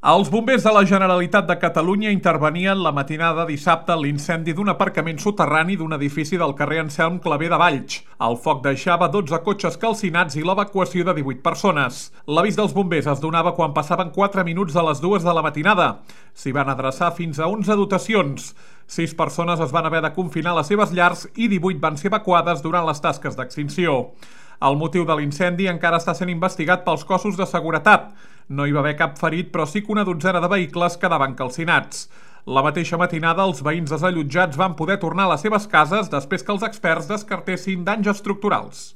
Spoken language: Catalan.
Els bombers de la Generalitat de Catalunya intervenien la matinada de dissabte en l'incendi d'un aparcament soterrani d'un edifici del carrer Anselm Clavé de Valls. El foc deixava 12 cotxes calcinats i l'evacuació de 18 persones. L'avís dels bombers es donava quan passaven 4 minuts de les 2 de la matinada. S'hi van adreçar fins a 11 dotacions. 6 persones es van haver de confinar a les seves llars i 18 van ser evacuades durant les tasques d'extinció. El motiu de l'incendi encara està sent investigat pels cossos de seguretat. No hi va haver cap ferit, però sí que una dotzena de vehicles quedaven calcinats. La mateixa matinada, els veïns desallotjats van poder tornar a les seves cases després que els experts descartessin danys estructurals.